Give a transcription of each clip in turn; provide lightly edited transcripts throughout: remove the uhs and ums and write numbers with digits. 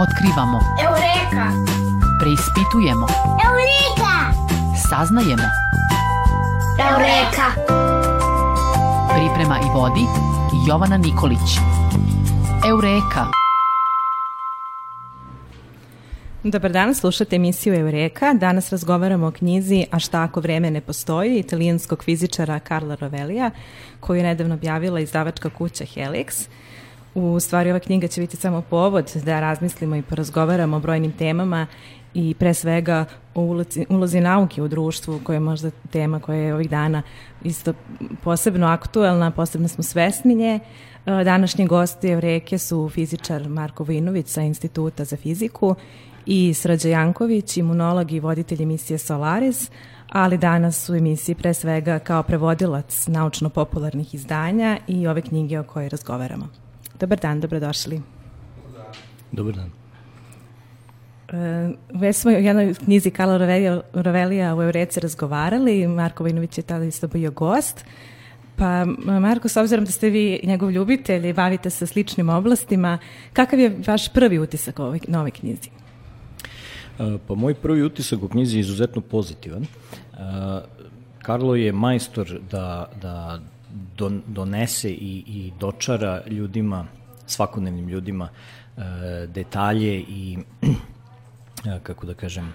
Otkrivamo. Eureka! Preispitujemo. Eureka! Saznajemo. Eureka! Priprema i vodi Jovana Nikolić. Eureka! Dobar dan, slušate emisiju Eureka. Danas razgovaramo o knjizi A šta ako vreme ne postoji, italijanskog fizičara Carla Rovellija, koju je nedavno objavila izdavačka kuća Helix. U stvari, ova knjiga će biti samo povod da razmislimo i porazgovaramo o brojnim temama i pre svega o ulozi nauke u društvu, koja je možda tema koja je ovih dana isto posebno aktuelna, posebno smo svesni nje. Današnji gosti Eureke su fizičar Marko Vojinović sa Instituta za fiziku i Srđa Janković, imunolog i voditelj emisije Solaris, ali danas u emisiji pre svega kao prevodilac naučno-popularnih izdanja i ove knjige o kojoj razgovaramo. Dobar dan, dobrodošli. Dobar dan. Već smo u jednoj knjizi Carla Rovellija u Eureci razgovarali, Marko Vojinović je tada isto bio gost. Pa Marko, s obzirom da ste vi njegov ljubitelj i bavite se sličnim oblastima, kakav je vaš prvi utisak o novoj knjizi? Pa moj prvi utisak u knjizi je izuzetno pozitivan. Carlo je majstor da donese i dočara ljudima, svakodnevnim ljudima, detalje i, kako da kažem,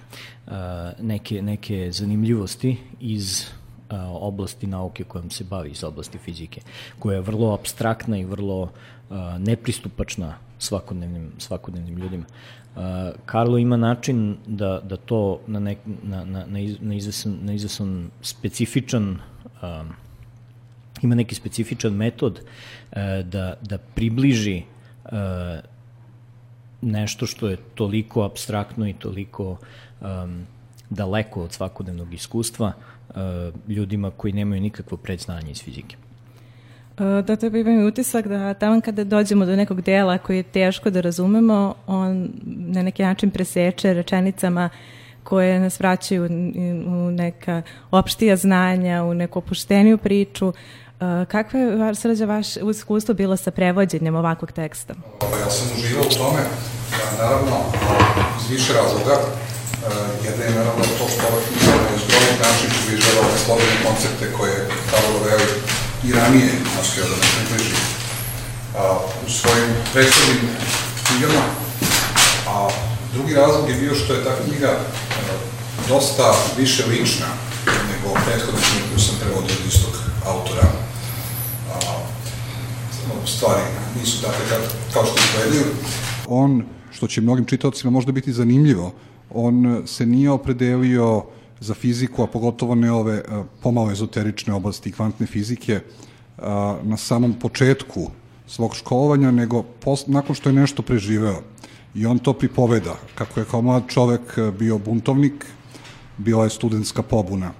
neke zanimljivosti iz oblasti nauke kojom se bavi, iz oblasti fizike, koja je vrlo apstraktna i vrlo nepristupačna svakodnevnim ljudima. Carlo ima način da to na izvesan specifičan, ima neki specifičan metod da približi nešto što je toliko apstraktno i toliko daleko od svakodnevnog iskustva ljudima koji nemaju nikakvo predznanje iz fizike. Da, to imam utisak da tamo kada dođemo do nekog dela koji je teško da razumemo, on na neki način preseče rečenicama koje nas vraćaju u neka opštija znanja, u neku opušteniju priču. Kakva je, Srđa, vaše iskustvo bilo sa prevođenjem ovakvog teksta? Ja sam uživao u tome, naravno, iz više razloga. Jedna je naravno to što ova knjiga na izgrovnog način približava ove slobodne koncepte koje Carlo Rovelli i ranije nastoja da nas približi u svojim prethodnim knjigama. A drugi razlog je bio što je ta knjiga dosta više lična nego prethodne knjige koju sam prevodio od istog autora. Stvari nisu takve kao što izgledaju. On, što će mnogim čitaocima možda biti zanimljivo, on se nije opredelio za fiziku, a pogotovo ne ove pomalo ezoterične oblasti kvantne fizike na samom početku svog školovanja, nego nakon što je nešto preživeo. I on to pripoveda, kako je kao mlad čovek bio buntovnik, bila je studentska pobuna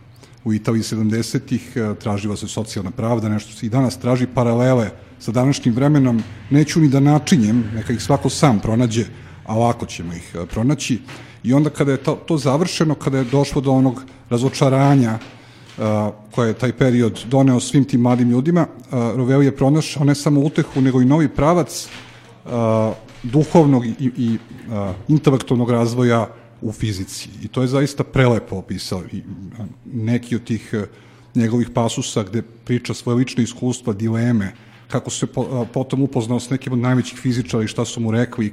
u Italiji 70-ih, tražila se socijalna pravda, nešto se i danas traži, paralele sa današnjim vremenom, neću ni da načinjem, neka ih svako sam pronađe, a lako ćemo ih pronaći. I onda kada je to završeno, kada je došlo do onog razočaranja koje je taj period doneo svim tim mladim ljudima, Rovelli je pronašao ne samo utehu, nego i novi pravac duhovnog i intelektualnog razvoja u fizici. I to je zaista prelepo opisao. I neki od tih njegovih pasusa gde priča svoje lične iskustva, dileme, kako se potom upoznao s nekim od najvećih fizičara i šta su mu rekli i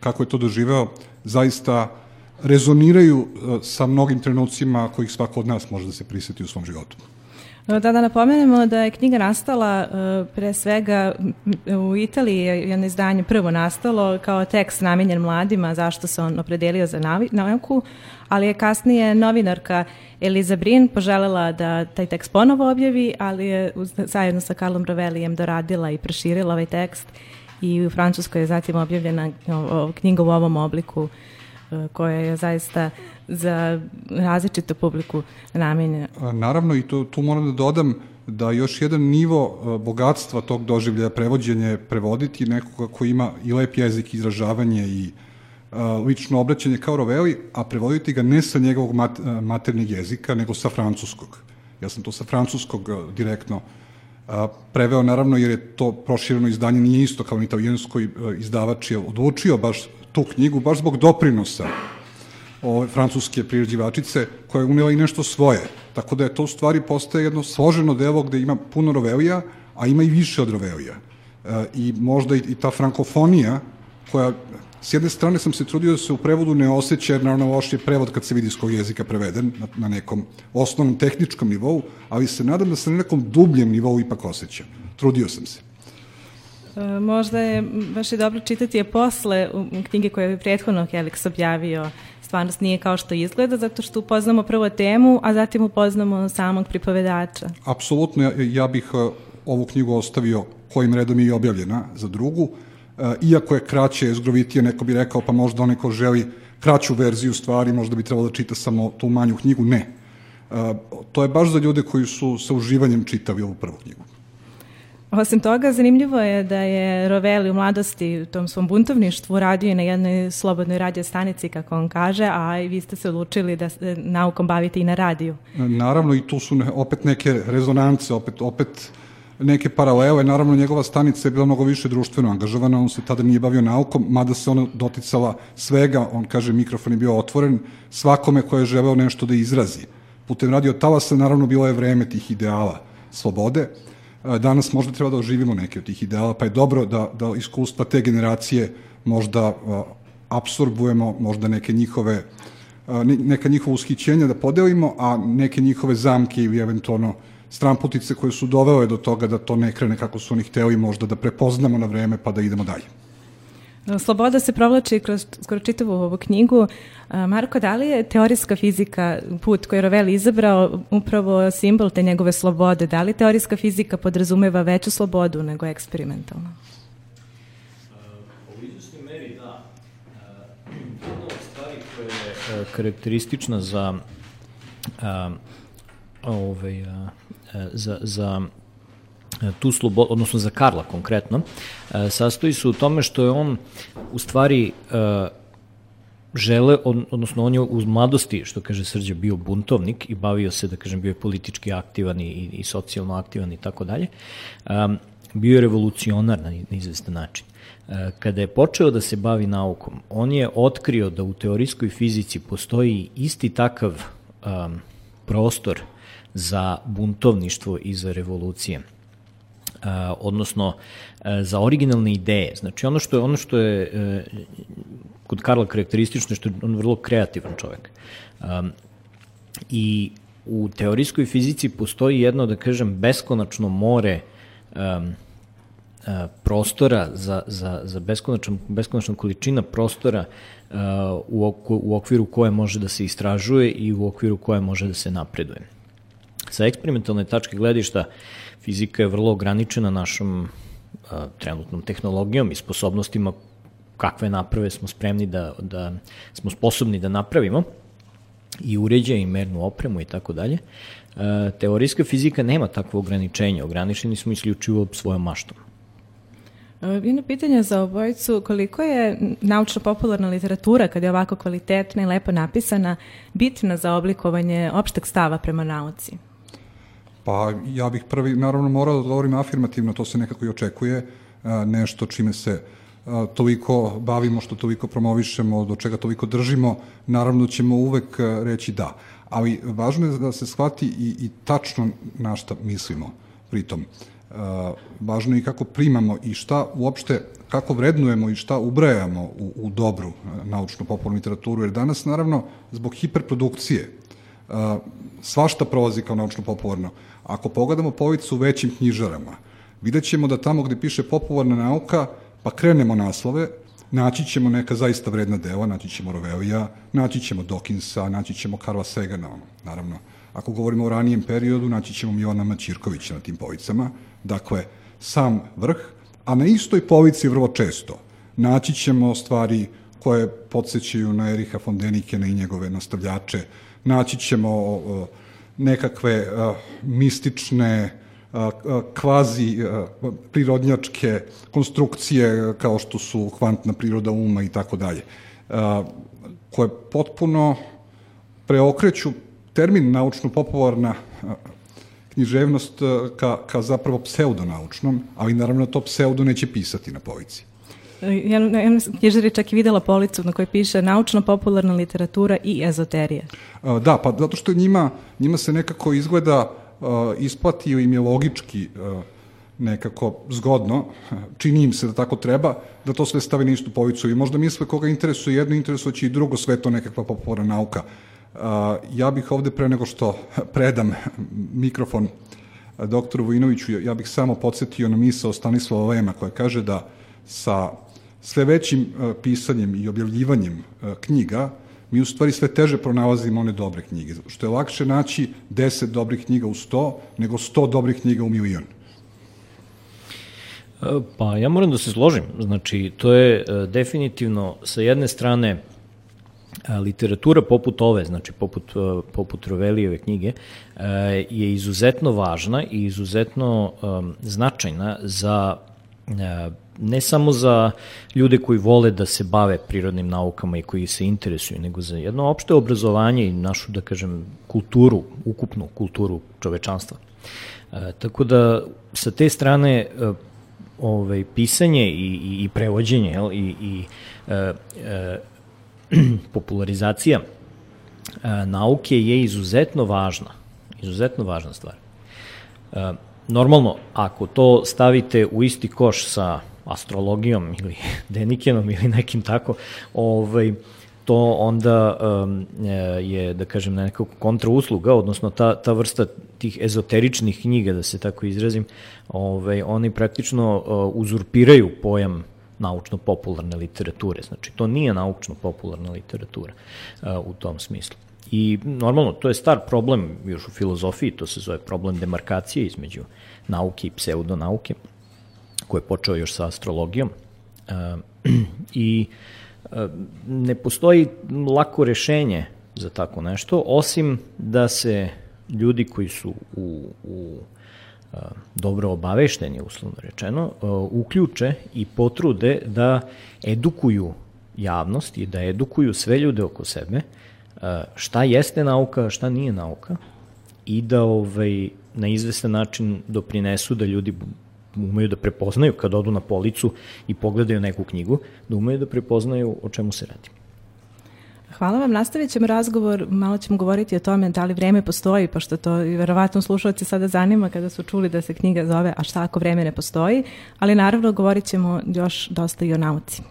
kako je to doživeo, zaista rezoniraju sa mnogim trenucima kojih svako od nas može da se priseti u svom životu. Da napomenemo da je knjiga nastala pre svega u Italiji, jedno izdanje prvo nastalo kao tekst namenjen mladima, zašto se on opredelio za nauku, ali je kasnije novinarka Eliza Brin poželela da taj tekst ponovo objavi, ali je zajedno sa Carlom Rovellijem doradila i proširila ovaj tekst i u Francuskoj je zatim objavljena knjiga u ovom obliku koja je zaista za različitu publiku namenjena. Naravno, i tu moram da dodam da još jedan nivo bogatstva tog doživljaja prevođenja je prevoditi nekoga koji ima i lep jezik, izražavanje i lično obraćanje kao Rovelli, a prevoditi ga ne sa njegovog maternjeg jezika, nego sa francuskog. Ja sam to sa francuskog direktno preveo, naravno, jer je to prošireno izdanje nije isto kao na italijanskoj, izdavač je odlučio baš tu knjigu, baš zbog doprinosa ove francuske priređivačice, koja je unela i nešto svoje. Tako da je to u stvari postaje jedno složeno delo gde ima puno Rovelija, a ima i više od Rovelija. I možda i ta frankofonija, koja, s jedne strane sam se trudio da se u prevodu ne osjeća, jer naravno loš je prevod kad se vidi s kog jezika preveden, na nekom osnovnom tehničkom nivou, ali se nadam da se na nekom dubljem nivou ipak osjeća. Trudio sam se. Možda je baš i dobro čitati je posle knjige koje je prethodno Helix objavio. Stvarnost nije kao što izgleda, zato što upoznamo prvo temu, a zatim upoznamo samog pripovedača. Apsolutno, ja bih ovu knjigu ostavio kojim redom je i objavljena za drugu. Iako je kraće, jezgrovitije, neko bi rekao, pa možda onaj ko želi kraću verziju stvari, možda bi trebalo da čita samo tu manju knjigu. Ne. To je baš za ljude koji su sa uživanjem čitali ovu prvu knjigu. Osim toga, zanimljivo je da je Rovelli u mladosti u tom svom buntovništvu radio i na jednoj slobodnoj radio stanici, kako on kaže, a i vi ste se odlučili da se naukom bavite i na radiju. Naravno, i tu su opet neke rezonance, opet neke paralele. Naravno, njegova stanica je bila mnogo više društveno angažovana, on se tada nije bavio naukom, mada se ona doticala svega, on kaže mikrofon je bio otvoren svakome ko je želeo nešto da izrazi. Putem radio talasa, naravno, bilo je vreme tih ideala slobode. Danas možda treba da oživimo neke od tih ideala, pa je dobro da iskustva te generacije možda apsorbujemo, možda neka njihova ushićenja da podelimo, a neke njihove zamke ili eventualno stramputice koje su dovele do toga da to ne krene kako su oni hteli, možda da prepoznamo na vreme pa da idemo dalje. Sloboda se provlači kroz skoro čitavu ovu knjigu. Marko, da li je teorijska fizika, put koji je Rovelli izabrao, upravo simbol te njegove slobode? Da li teorijska fizika podrazumeva veću slobodu nego eksperimentalno? U izvesnoj meri, da. Jedna od stvari koja je karakteristična za tu slobodu, odnosno za Karla konkretno, sastoji se u tome što je on u stvari odnosno on je u mladosti, što kaže Srđa, bio buntovnik i bavio se, da kažem, bio je politički aktivan i socijalno aktivan i tako dalje. Bio je revolucionar na izvestan način. Kada je počeo da se bavi naukom, on je otkrio da u teorijskoj fizici postoji isti takav prostor za buntovništvo i za revolucije. Odnosno za originalne ideje. Znači ono što je kod Karla karakteristično, što je on vrlo kreativan čovek. I u teorijskoj fizici postoji jedno, da kažem, beskonačno more prostora za beskonačna količina prostora u okviru koje može da se istražuje i u okviru koje može da se napreduje. Sa eksperimentalne tačke gledišta, fizika je vrlo ograničena našom trenutnom tehnologijom i sposobnostima kakve naprave smo spremni da smo sposobni da napravimo, i uređaje i mernu opremu i tako dalje. Teorijska fizika nema takvo ograničenje, ograničeni smo isključivo svojom maštom. Jedno pitanje za obojicu, koliko je naučno-popularna literatura, kada je ovako kvalitetna i lepo napisana, bitna za oblikovanje opšteg stava prema nauci? Pa ja bih prvi, naravno, morao da odgovorim afirmativno, to se nekako i očekuje, nešto čime se toliko bavimo, što toliko promovišemo, do čega toliko držimo, naravno ćemo uvek reći da. Ali važno je da se shvati i tačno na šta mislimo pritom. Važno je i kako primamo i šta uopšte, kako vrednujemo i šta ubrajamo u dobru naučno-popularnu literaturu, jer danas, naravno, zbog hiperprodukcije, svašta prolazi kao naučno-popularno. Ako pogledamo policu u većim knjižarama, vidjet ćemo da tamo gde piše popularna nauka, pa krenemo naslove, naći ćemo neka zaista vredna dela, naći ćemo Rovellija, naći ćemo Dawkinsa, naći ćemo Carla Sagana, naravno. Ako govorimo o ranijem periodu, naći ćemo Milana Maćirkovića na tim policama, dakle, sam vrh, a na istoj polici vrlo često naći ćemo stvari koje podsjećaju na Ericha von Dänikena i njegove nastavljače, naći ćemo nekakve mistične, kvazi prirodnjačke konstrukcije kao što su kvantna priroda uma i tako dalje, koje potpuno preokreću termin naučno-popularna književnost ka zapravo pseudonaučnom, ali naravno to pseudo neće pisati na polici. Jedna knjižara je čak i videla policu na kojoj piše naučno-popularna literatura i ezoterija. Da, pa zato što njima se nekako izgleda isplatio im je logički nekako zgodno, čini im se da tako treba, da to sve stavi na istu policu i možda misle koga interesuje jedno, interesujući i drugo, sve to nekakva popularna nauka. Ja bih ovde pre nego što predam mikrofon doktoru Vujinoviću, ja bih samo podsjetio na misao Stanislava Lema koja kaže da sa sve većim pisanjem i objavljivanjem knjiga mi u stvari sve teže pronalazimo one dobre knjige, što je lakše naći 10 dobrih knjiga u 100 nego 100 dobrih knjiga u 1.000.000. Pa ja moram da se složim, znači to je definitivno sa jedne strane literatura poput ove, znači poput Rovelijeve knjige, je izuzetno važna i izuzetno značajna za ne samo za ljude koji vole da se bave prirodnim naukama i koji se interesuju, nego za jedno opšte obrazovanje i našu, da kažem, kulturu, ukupnu kulturu čovečanstva. Tako da sa te strane pisanje i prevođenje i popularizacija nauke je izuzetno važna stvar. Normalno, ako to stavite u isti koš sa astrologijom ili Denikenom ili nekim tako, to onda je, da kažem, nekako kontrausluga, odnosno ta vrsta tih ezoteričnih knjiga, da se tako izrazim, oni praktično uzurpiraju pojam naučno-popularne literature. Znači, to nije naučno-popularna literatura u tom smislu. I normalno, to je star problem još u filozofiji, to se zove problem demarkacije između nauke i pseudonauke, koji je počeo još sa astrologijom. I ne postoji lako rešenje za tako nešto, osim da se ljudi koji su dobro obavešteni, uslovno rečeno, uključe i potrude da edukuju javnost i da edukuju sve ljude oko sebe šta jeste nauka, šta nije nauka i da na izvestan način doprinesu da ljudi umeju da prepoznaju kad odu na policu i pogledaju neku knjigu, da umeju da prepoznaju o čemu se radi. Hvala vam, nastavit ćemo razgovor, malo ćemo govoriti o tome da li vreme postoji, pošto to verovatno slušalci sada zanima kada su čuli da se knjiga zove A šta ako vreme ne postoji, ali naravno govorit ćemo još dosta i o nauci.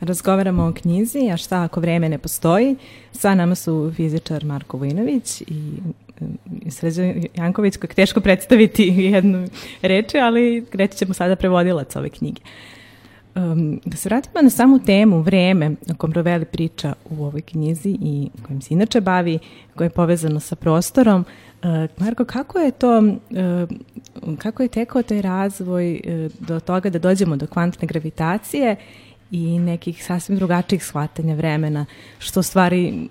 Razgovaramo o knjizi, a šta ako vreme ne postoji. Sa nama su fizičar Marko Vujinović i Srđan Janković, kojeg teško predstaviti jednu reči, ali reći ćemo sada prevodilac ove knjige. Da se vratimo na samu temu, vreme o kom Rovelli priča u ovoj knjizi i kojim se inače bavi, koje je povezano sa prostorom. Marko, kako je tekao taj razvoj do toga da dođemo do kvantne gravitacije i nekih sasvim drugačijih shvatanja vremena, što stvari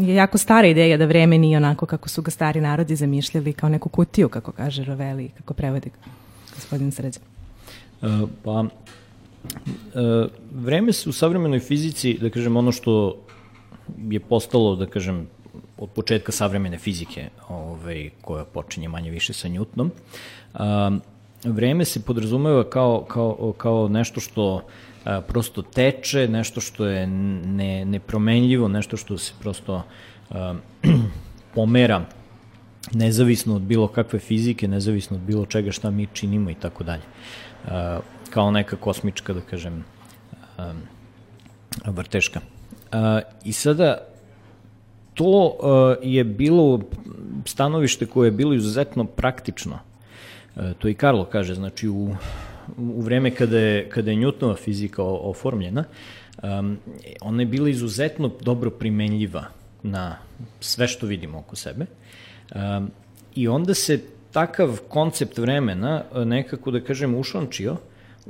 je jako stara ideja da vreme nije onako kako su ga stari narodi zamišljali, kao neku kutiju, kako kaže Rovelli, kako prevodi gospodin Srđan. Vreme se u savremenoj fizici, da kažem, ono što je postalo, da kažem, od početka savremene fizike, koja počinje manje više sa Newtonom, vreme se podrazumeva kao nešto što prosto teče, nešto što je nepromenljivo, nešto što se prosto pomera nezavisno od bilo kakve fizike, nezavisno od bilo čega šta mi činimo i tako dalje. Kao neka kosmička, da kažem, vrteška. I sada to je bilo stanovište koje je bilo izuzetno praktično. To i Karlo kaže, znači u vreme kada je Newtonova fizika oformljena, ona je bila izuzetno dobro primenljiva na sve što vidimo oko sebe. I onda se takav koncept vremena nekako, da kažem, ušončio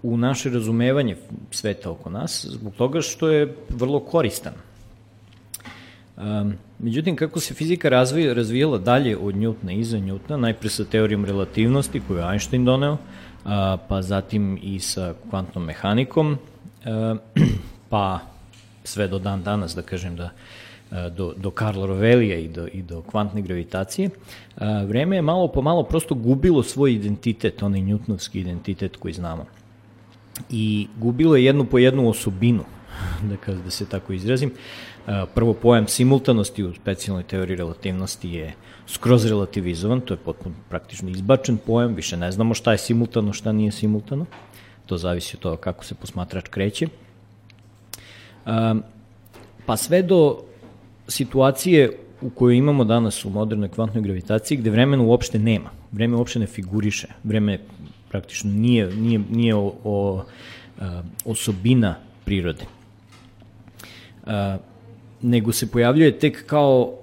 u naše razumevanje sveta oko nas, zbog toga što je vrlo koristan. Međutim, kako se fizika razvijala dalje od Newtona i iza Newtona, najpre sa teorijom relativnosti koju je Einstein doneo, pa zatim i sa kvantnom mehanikom, pa sve do dan danas, da kažem, do Karla Rovellija i do kvantne gravitacije, vreme je malo po malo prosto gubilo svoj identitet, onaj Newtonovski identitet koji znamo. I gubilo je jednu po jednu osobinu, da se tako izrazim. Prvo, pojam simultanosti u specijalnoj teoriji relativnosti je skroz relativizovan, to je potpuno praktično izbačen pojam, više ne znamo šta je simultano, šta nije simultano, to zavisi od toga kako se posmatrač kreće. Pa sve do situacije u kojoj imamo danas u modernoj kvantnoj gravitaciji, gde vremena uopšte nema, vreme uopšte ne figuriše, vreme praktično nije osobina prirode. Nego se pojavljuje tek kao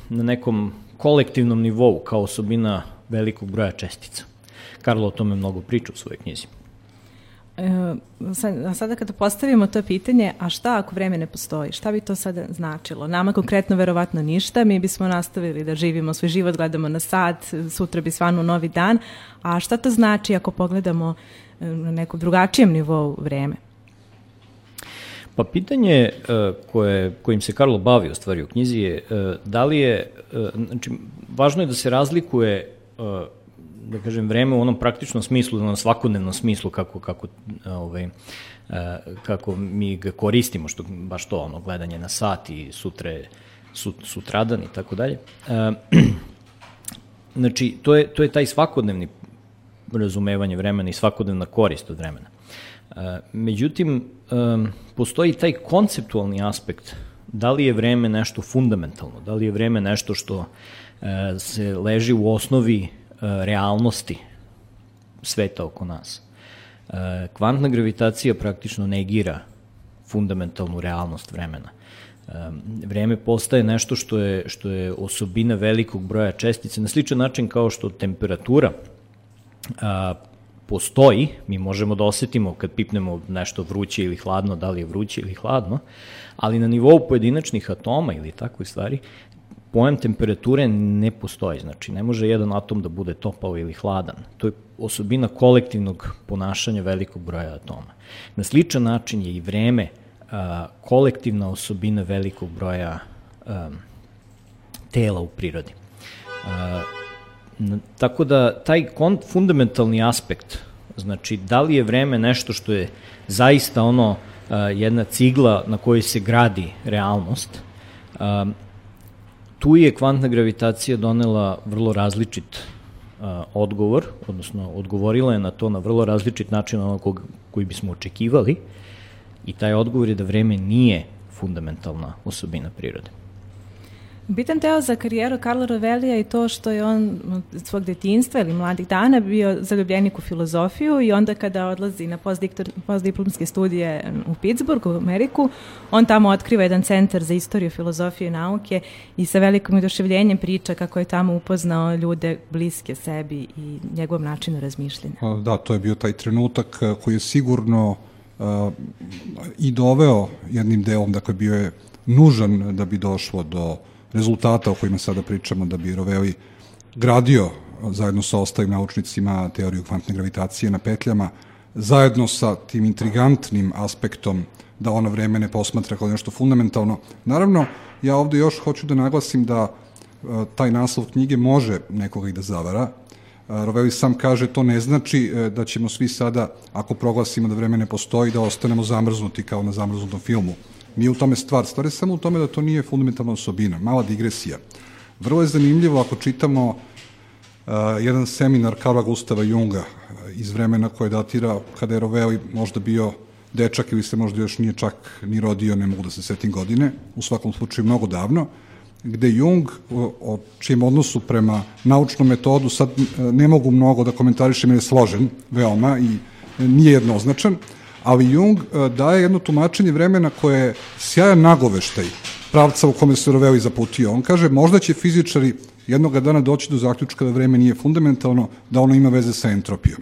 na nekom kolektivnom nivou, kao osobina velikog broja čestica. Karlo o tome mnogo priča u svojoj knjizi. Sada kada postavimo to pitanje, a šta ako vreme ne postoji? Šta bi to sada značilo? Nama konkretno verovatno ništa, mi bismo nastavili da živimo svoj život, gledamo na sat, sutra bi svanuo novi dan, a šta to znači ako pogledamo na nekom drugačijem nivou vreme? Pa pitanje kojim se Karlo bavi u stvari u knjizi je da li je, znači, važno je da se razlikuje, da kažem, vreme u onom praktičnom smislu, na svakodnevnom smislu kako mi ga koristimo, što baš to, ono, gledanje na sat i sutradan i tako dalje. Znači, to je taj svakodnevni razumevanje vremena i svakodnevna korist od vremena. Međutim, postoji taj konceptualni aspekt, da li je vreme nešto fundamentalno, da li je vreme nešto što se leži u osnovi realnosti sveta oko nas. Kvantna gravitacija praktično negira fundamentalnu realnost vremena. Vreme postaje nešto što je osobina velikog broja čestica, na sličan način kao što temperatura postoji, mi možemo da osetimo kad pipnemo nešto vruće ili hladno, da li je vruće ili hladno, ali na nivou pojedinačnih atoma ili takve stvari, pojam temperature ne postoji, znači ne može jedan atom da bude topao ili hladan. To je osobina kolektivnog ponašanja velikog broja atoma. Na sličan način je i vreme kolektivna osobina velikog broja tela u prirodi. Tako da taj fundamentalni aspekt, znači da li je vreme nešto što je zaista ono jedna cigla na kojoj se gradi realnost, tu je kvantna gravitacija donela vrlo različit odgovor, odnosno odgovorila je na to na vrlo različit način onog koji bismo očekivali, I taj odgovor je da vreme nije fundamentalna osobina prirode. Bitan deo za karijeru Karla Rovellija je to što je on od svog detinjstva ili mladih dana bio zaljubljenik u filozofiju i onda kada odlazi na postdiplomske studije u Pittsburgh, u Ameriku, on tamo otkriva jedan centar za istoriju filozofije i nauke i sa velikim oduševljenjem priča kako je tamo upoznao ljude bliske sebi i njegovom načinu razmišljanja. Da, to je bio taj trenutak koji je sigurno i doveo jednim delom, dakle bio je nužan da bi došlo do rezultata o kojima sada pričamo, da bi Rovelli gradio zajedno sa ostalim naučnicima teoriju kvantne gravitacije na petljama, zajedno sa tim intrigantnim aspektom da ono vreme ne posmatra kao nešto fundamentalno. Naravno, ja ovde još hoću da naglasim da taj naslov knjige može nekoga i da zavara. Rovelli sam kaže, to ne znači da ćemo svi sada, ako proglasimo da vreme ne postoji, da ostanemo zamrznuti kao na zamrznutom filmu. Nije u tome stvar je samo u tome da to nije fundamentalna osobina. Mala digresija. Vrlo je zanimljivo ako čitamo jedan seminar Carla Gustava Junga iz vremena koje datira kada je Rovelli možda bio dečak ili se možda još nije čak ni rodio, ne mogu da se setim godine, u svakom slučaju mnogo davno, gde Jung, o čijem odnosu prema naučnom metodu, sad ne mogu mnogo da komentarišem jer je složen veoma i nije jednoznačan, ali Jung daje jedno tumačenje vremena koje je sjajan nagoveštaj pravca u kome se Rovelli zaputio. On kaže, možda će fizičari jednoga dana doći do zaključka da vreme nije fundamentalno, da ono ima veze sa entropijom.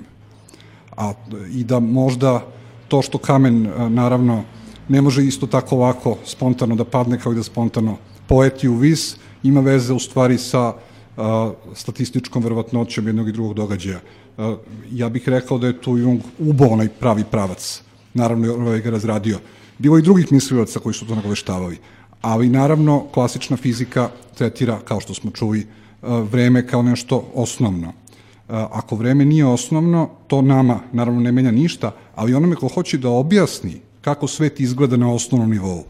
I da možda to što kamen, naravno, ne može isto tako lako spontano da padne kao i da spontano poleti u vis, ima veze u stvari sa statističkom verovatnoćom jednog i drugog događaja. Ja bih rekao da je tu Jung ubao onaj pravi pravac. Naravno, Rovelli ga razradio. Bilo i drugih mislilaca koji su to nagoveštavali. Ali, naravno, klasična fizika tretira, kao što smo čuli, vreme kao nešto osnovno. Ako vreme nije osnovno, to nama, naravno, ne menja ništa, ali onome ko hoće da objasni kako svet izgleda na osnovnom nivou,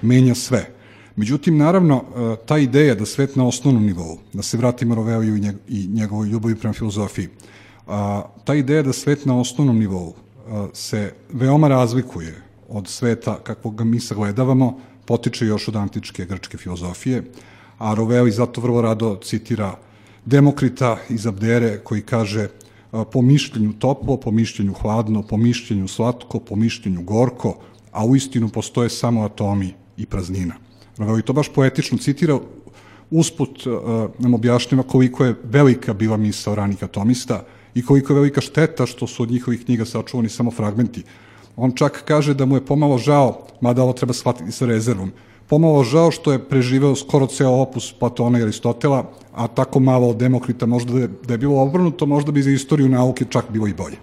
menja sve. Međutim, naravno, ta ideja da svet na osnovnom nivou, da se vratimo Rovelliju i njegovoj ljubavi prema filozofiji, ta ideja da svet na osnovnom nivou se veoma razlikuje od sveta kakvog ga mi sagledavamo, potiče još od antičke grčke filozofije, a Rovelli zato vrlo rado citira Demokrita iz Abdere koji kaže po mišljenju toplo, po mišljenju hladno, po mišljenju slatko, po mišljenju gorko, a u istinu postoje samo atomi i praznina. Rovelli to baš poetično citira, usput nam objašnjava koliko je velika bila misao ranih atomista i koliko je velika šteta što su od njihovih knjiga sačuvani samo fragmenti. On čak kaže da mu je pomalo žao, mada ovo treba shvatiti sa rezervom, pomalo žao što je preživeo skoro ceo opus Platona i Aristotela, a tako malo od Demokrita, možda da je bilo obrnuto, možda bi za istoriju nauke čak bilo i bolje.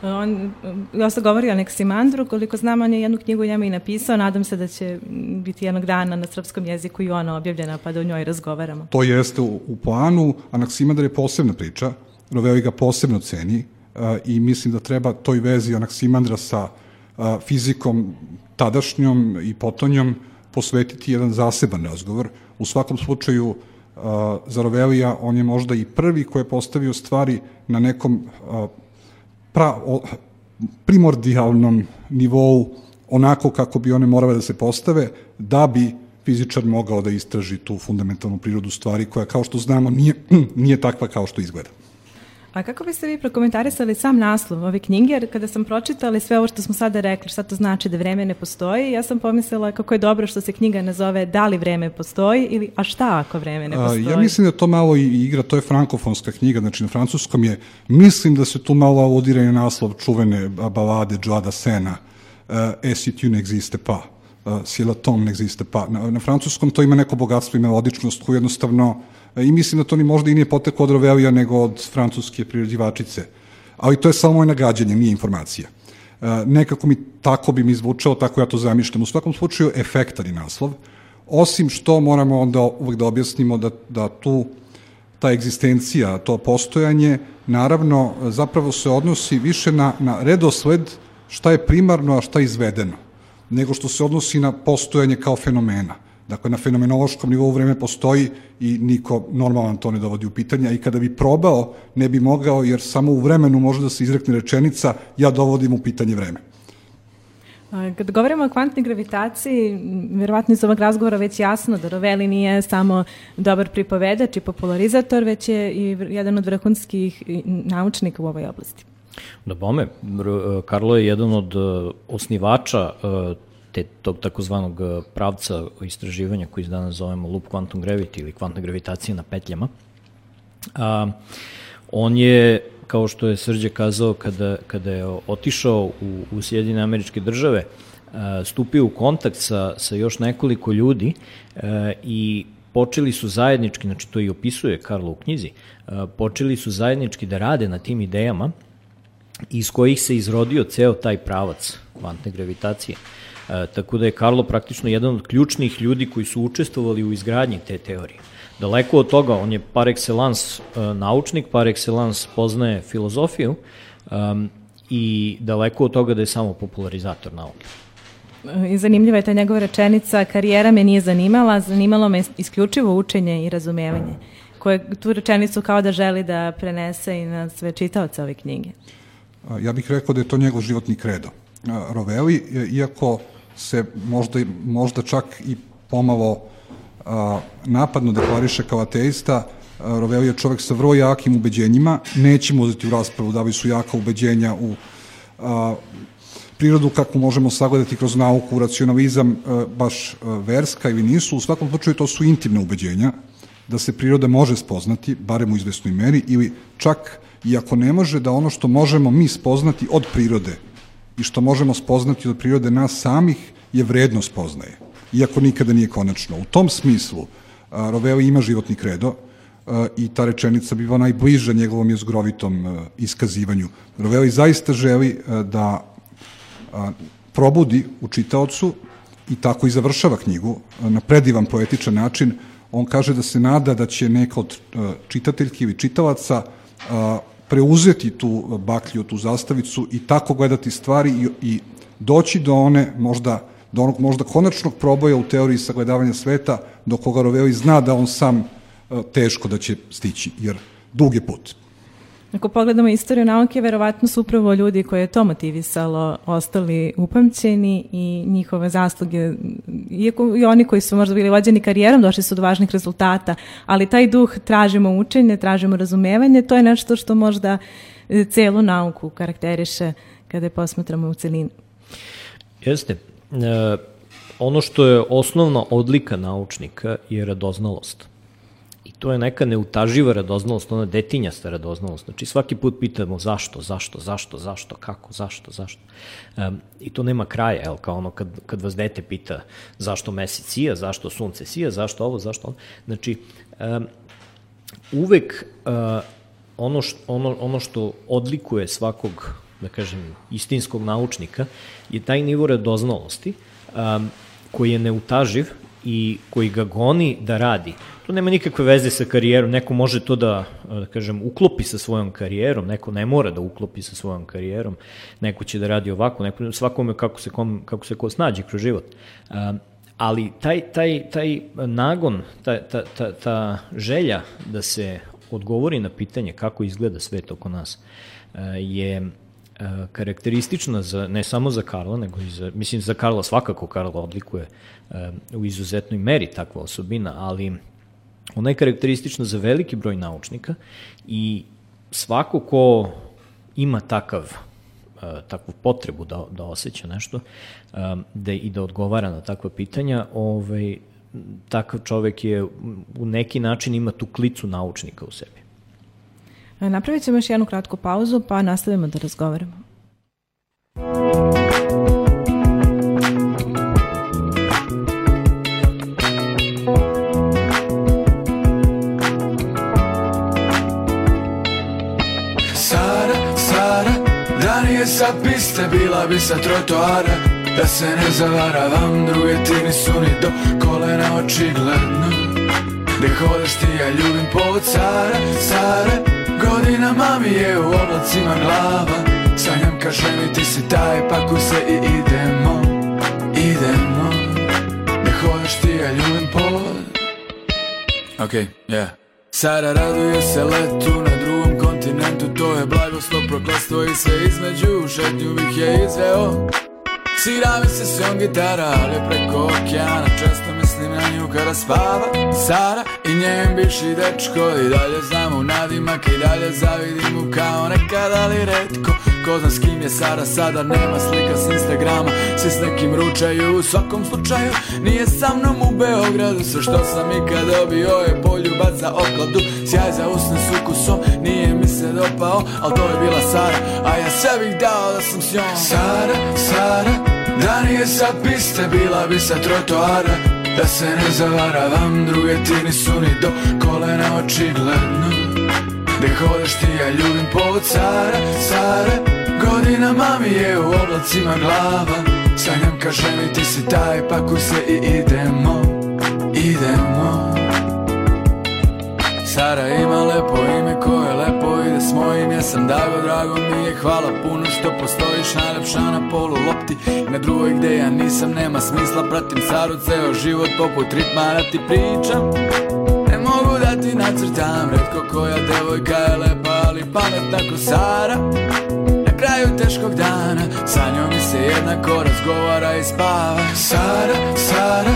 On dosta govori o Anaksimandru, koliko znam, on je jednu knjigu njemu i napisao, nadam se da će biti jednog dana na srpskom jeziku i ona objavljena, pa da o njoj razgovaramo. To jeste u planu, Anaksimandar je posebna priča, Rovelli ga posebno ceni i mislim da treba toj vezi Anaksimandra sa fizikom tadašnjom i potonjom posvetiti jedan zaseban razgovor. U svakom slučaju, za Rovellija on je možda i prvi koji je postavio stvari na nekom primordijalnom nivou, onako kako bi one morale da se postave, da bi fizičar mogao da istraži tu fundamentalnu prirodu stvari koja, kao što znamo, nije takva kao što izgleda. A kako biste vi prokomentarisali sam naslov ove knjige, jer kada sam pročitala sve ovo što smo sada rekli, šta to znači da vreme ne postoji, ja sam pomislila kako je dobro što se knjiga nazove Da li vreme postoji ili A šta ako vreme ne postoji? Ja mislim da to malo i igra, to je frankofonska knjiga, znači na francuskom je, mislim da se tu malo aludira i naslov čuvene balade Joa Dassena, Et si tu n'existe pas, si la tombe n'existe pas. Na francuskom to ima neko bogatstvo i melodičnost koju jednostavno, i mislim da to ni možda i nije poteklo od Rovellija nego od francuske priređivačice. Ali to je samo moje nagađanje, nije informacija. Nekako tako bi mi zvučalo, tako ja to zamišljam. U svakom slučaju, efektan je naslov. Osim što moramo onda uvek da objasnimo da tu ta egzistencija, to postojanje, naravno, zapravo se odnosi više na redosled šta je primarno, a šta je izvedeno, nego što se odnosi na postojanje kao fenomena. Dakle, na fenomenološkom nivou vreme postoji i niko normalan to ne dovodi u pitanje, a i kada bi probao, ne bi mogao, jer samo u vremenu može da se izrekne rečenica ja dovodim u pitanje vreme. Kad govorimo o kvantnoj gravitaciji, vjerovatno iz ovog razgovora već jasno da Rovelli nije samo dobar pripovedač i popularizator, već je i jedan od vrhunskih naučnika u ovoj oblasti. Da bome, Carlo je jedan od osnivača tog takozvanog pravca istraživanja koji danas zovemo loop quantum gravity ili kvantna gravitacija na petljama. On je, kao što je Srđe kazao, kada je otišao u Sjedinjene Američke Države, stupio u kontakt sa još nekoliko ljudi i počeli su zajednički, znači to i opisuje Carlo u knjizi, počeli su zajednički da rade na tim idejama iz kojih se izrodio ceo taj pravac kvantne gravitacije. Tako da je Carlo praktično jedan od ključnih ljudi koji su učestvovali u izgradnji te teorije. Daleko od toga, on je par excellence naučnik, par excellence poznaje filozofiju i daleko od toga da je samo popularizator nauke. I zanimljiva je ta njegova rečenica, karijera me nije zanimala, zanimalo me isključivo učenje i razumevanje, koje tu rečenicu kao da želi da prenese i na sve čitaoce ove knjige. Ja bih rekao da je to njegov životni kredo. Rovelli, iako se možda čak i pomalo napadno deklariše kao ateista, Rovelli je čovek sa vrlo jakim ubeđenjima, nećemo uzeti u raspravu da li su jaka ubeđenja u prirodu kako možemo sagledati kroz nauku, racionalizam, baš verska ili nisu. U svakom slučaju to su intimne ubeđenja, da se priroda može spoznati, barem u izvesnoj meri, ili čak i ako ne može, da ono što možemo mi spoznati od prirode i što možemo spoznati od prirode nas samih je vredno spoznaje, iako nikada nije konačno. U tom smislu Rovelli ima životni kredo i ta rečenica biva najbliža njegovom jezgrovitom iskazivanju. Rovelli zaista želi da probudi u čitaocu i tako i završava knjigu na predivan poetičan način. On kaže da se nada da će neka od čitateljki ili čitalaca preuzeti tu baklju, tu zastavicu i tako gledati stvari i doći do onog možda konačnog proboja u teoriji sagledavanja sveta, do koga Rovelli zna da on sam teško da će stići, jer dug je put. Ako pogledamo istoriju nauke, verovatno su upravo ljudi koje je to motivisalo ostali upamćeni i njihove zasluge, iako i oni koji su možda bili vođeni karijerom, došli su do važnih rezultata, ali taj duh tražimo učenje, tražimo razumevanje, to je nešto što možda celu nauku karakteriše kada je posmatramo u celini. Jeste. Ono što je osnovna odlika naučnika je radoznalost. I to je neka neutaživa radoznalost, ona detinjasta radoznalost. Znači svaki put pitamo zašto, kako, zašto. I to nema kraja, kao ono kad vas dete pita zašto mesec sija, zašto sunce sija, zašto ovo, zašto ono. Znači, uvek ono što odlikuje svakog, da kažem, istinskog naučnika je taj nivo radoznalosti koji je neutaživ i koji ga goni da radi. To nema nikakve veze sa karijerom, neko može to da kažem, uklopi sa svojom karijerom, neko ne mora da uklopi sa svojom karijerom, neko će da radi ovako, neko, svakome kako se ko snađe kroz život. Ali taj nagon, ta želja da se odgovori na pitanje kako izgleda svet oko nas je karakteristična ne samo za Carla, nego i za Carla svakako Carla odlikuje u izuzetnoj meri takva osobina, ali ona je karakteristična za veliki broj naučnika i svako ko ima takvu potrebu da osjeća nešto i da odgovara na takva pitanja, takav čovek je u neki način ima tu klicu naučnika u sebi. Napravit ćemo još jednu kratku pauzu, pa nastavimo da razgovaramo. Sara, da nije sa piste, bila bi sa trotoara. Da se ne zavaravam, druge ti nisu ni do kolena očigledno. Gde hodeš ti, ja ljubim povod Sara. Godinama mi je u oblacima glava. Sanjam kaže mi ti si taj, pakuj se i idemo. Gde hodeš ti, ja ljubim povod. Okej, yeah. Sara raduje se letu na drugom kontinentu. To je blagoslov, prokletstvo i sve između. Šetnju bih je izveo. Svira mi se svom gitara, ali preko okeana. Često mislim na nju kada spava Sara i njen bivši dečko. I dalje znam u nadimak, i dalje zavidim mu kao nekad, ali retko. Ko zna s kim je Sara sada, nema slika s Instagrama. Svi s nekim ručaju, u svakom slučaju nije sa mnom u Beogradu. Sve što sam ikad dobio je poljubac za okladu. Sjaj za usne s ukusom, nije mi se dopao, al to je bila Sara, a ja sve bih dao da sam s njom. Sara, Sara, da nije sa piste, bila bi sa trotoara. Da se ne zavaravam, druge ti nisu ni do kolena očigledno. Gde hodeš ti, ja ljubim povod Sara, Sara. Godinama mi je u oblacima glava. Sanjam, kaže mi ti si taj, pakuj se i idemo, idemo. Sara ima lepo ime koje lepo ide s mojim. Ja sam Dago, drago mi je, hvala puno što postojiš. Najlepša na polu lopti i na drugoj gde ja nisam. Nema smisla, pratim Saru ceo život poput ritma da ti pričam. Ne mogu da ti nacrtam, retko koja devojka je lepa, ali pametna ko Sara. Na kraju teškog dana sa njom mi se jednako razgovara i spava. Sara, Sara,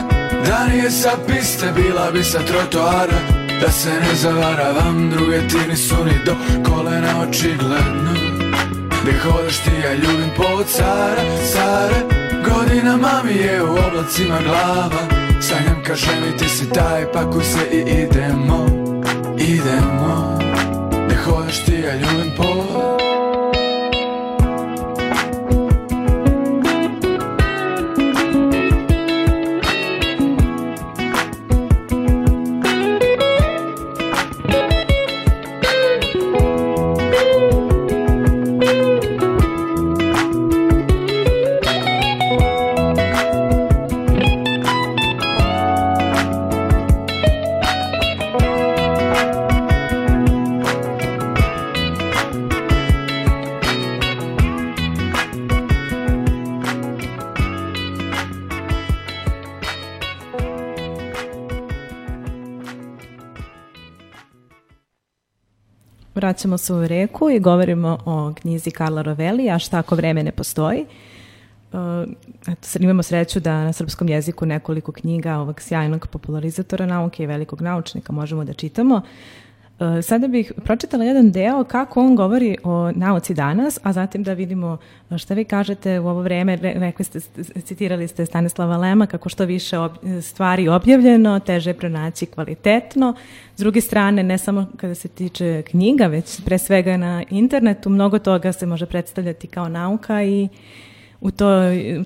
da nije sa piste, bila bi sa trotoara. Da se ne zavaravam, druge ti nisu ni do kolena očigledno. Gde hodeš ti, ja ljubim povod Sara, Sara. Godinama mi je u oblacima glava. Sanjam, kaže mi ti si taj, pakuj se i idemo, idemo. Gde hodeš ti, ja ljubim povod. Vraćamo se u Reku i govorimo o knjizi Karla Rovelija, A šta ako vreme ne postoji. Imamo sreću da na srpskom jeziku nekoliko knjiga ovog sjajnog popularizatora nauke i velikog naučnika možemo da čitamo. Sada bih pročitala jedan deo kako on govori o nauci danas, a zatim da vidimo šta vi kažete u ovo vreme. Rekli ste, citirali ste Stanislava Lema, kako što više stvari objavljeno, teže pronaći kvalitetno. S druge strane, ne samo kada se tiče knjiga, već pre svega na internetu, mnogo toga se može predstavljati kao nauka i u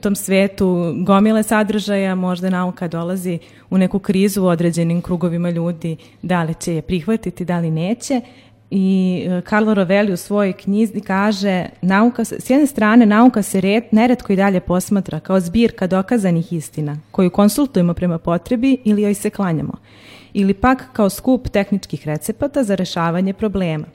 tom svetu gomile sadržaja možda nauka dolazi u neku krizu u određenim krugovima ljudi, da li će je prihvatiti, da li neće. I Karlo Rovelli u svojoj knjizi kaže, s jedne strane nauka se neretko i dalje posmatra kao zbirka dokazanih istina, koju konsultujemo prema potrebi ili joj se klanjamo, ili pak kao skup tehničkih recepata za rešavanje problema.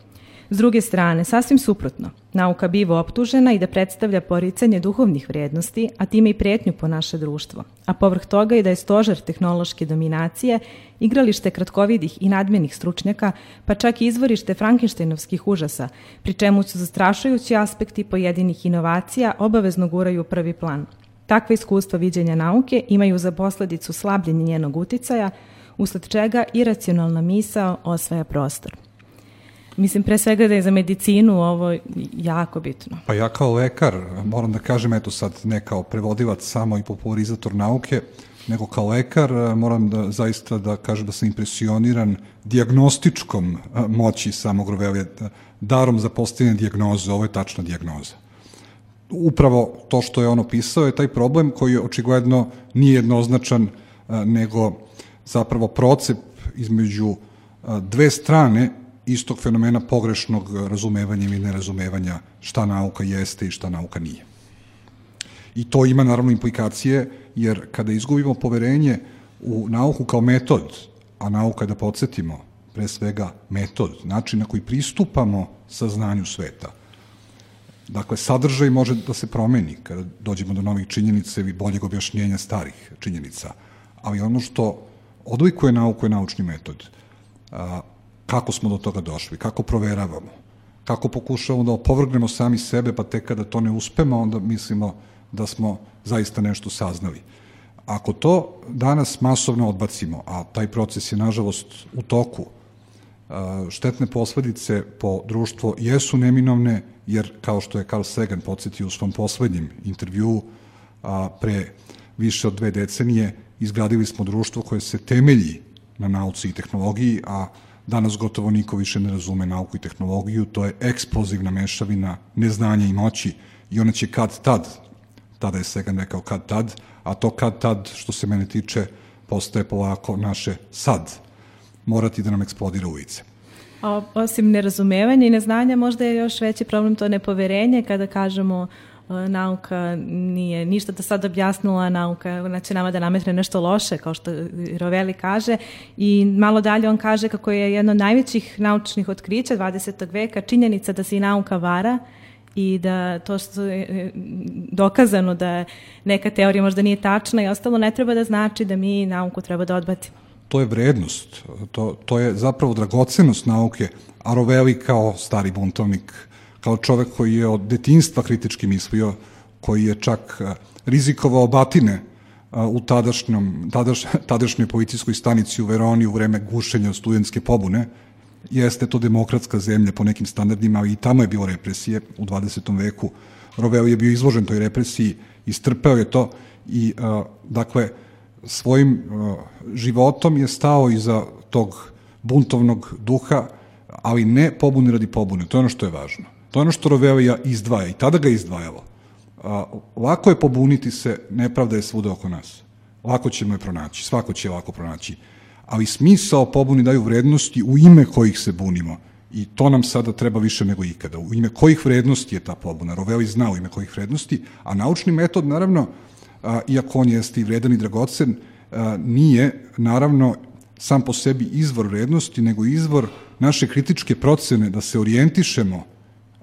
S druge strane, sasvim suprotno, nauka biva optužena i da predstavlja poricanje duhovnih vrijednosti, a time i pretnju po naše društvo, a povrh toga i da je stožer tehnološke dominacije, igralište kratkovidih i nadmenih stručnjaka, pa čak i izvorište frankenštejnovskih užasa, pri čemu su zastrašujući aspekti pojedinih inovacija obavezno guraju u prvi plan. Takva iskustva viđenja nauke imaju za posledicu slabljenje njenog uticaja, usled čega iracionalna misao osvaja prostor. Mislim, pre svega da je za medicinu ovo jako bitno. Pa ja kao lekar, moram da kažem, eto sad ne kao prevodilac samo i popularizator nauke, nego kao lekar moram da zaista da kažem da sam impresioniran dijagnostičkom moći samog Rovelija, darom za postavljanje dijagnoze, ovo je tačna dijagnoza. Upravo to što je on opisao je taj problem koji očigledno nije jednoznačan, nego zapravo procep između dve strane istog fenomena pogrešnog razumevanja ili nerazumevanja šta nauka jeste i šta nauka nije. I to ima naravno implikacije, jer kada izgubimo poverenje u nauku kao metod, a nauka, da podsjetimo, pre svega metod, način na koji pristupamo saznanju sveta. Dakle, sadržaj može da se promeni kada dođemo do novih činjenica ili boljeg objašnjenja starih činjenica, ali ono što odlikuje nauku je naučni metod. Kako smo do toga došli, kako proveravamo, kako pokušavamo da opovrgnemo sami sebe, pa tek kada to ne uspemo, onda mislimo da smo zaista nešto saznali. Ako to danas masovno odbacimo, a taj proces je nažalost u toku, štetne posledice po društvo jesu neminovne, jer kao što je Carl Sagan podsjetio u svom poslednjem intervjuu pre više od 2 decenije, izgradili smo društvo koje se temelji na nauci i tehnologiji, a danas gotovo niko više ne razume nauku i tehnologiju, to je eksplozivna mešavina neznanja i moći i ona će kad tad, tada je Sagan rekao kad tad, a to kad tad, što se mene tiče, postaje polako naše sad, morati da nam eksplodira ulice. Osim nerazumevanja i neznanja, možda je još veći problem to nepoverenje kada kažemo nauka nije ništa do sad objasnila, nauka znači nama da nametne nešto loše, kao što Rovelli kaže, i malo dalje on kaže kako je jedno od najvećih naučnih otkrića 20. veka činjenica da se i nauka vara i da to što je dokazano da neka teorija možda nije tačna i ostalo ne treba da znači da mi nauku treba da odbacimo. To je vrednost, to je zapravo dragocenost nauke, a Rovelli kao stari buntovnik, kao čovek koji je od detinjstva kritički mislio, koji je čak rizikovao batine u tadašnjoj policijskoj stanici u Veroni u vreme gušenja studentske pobune. Jeste to demokratska zemlja po nekim standardima, ali i tamo je bilo represije u 20. veku. Rovelli je bio izložen toj represiji, istrpeo je to i, dakle, svojim životom je stao iza tog buntovnog duha, ali ne pobune radi pobune. To je ono što je važno. To je ono što Rovellija izdvaja i tada ga je izdvajalo. Lako je pobuniti se, nepravda je svuda oko nas. Lako ćemo je pronaći, svako će je lako pronaći. Ali smisao pobuni daju vrednosti u ime kojih se bunimo. I to nam sada treba više nego ikada. U ime kojih vrednosti je ta pobuna? Rovelli zna u ime kojih vrednosti, a naučni metod, naravno, iako on jeste i vredan i dragocen, nije, naravno, sam po sebi izvor vrednosti, nego izvor naše kritičke procene da se orijentišemo,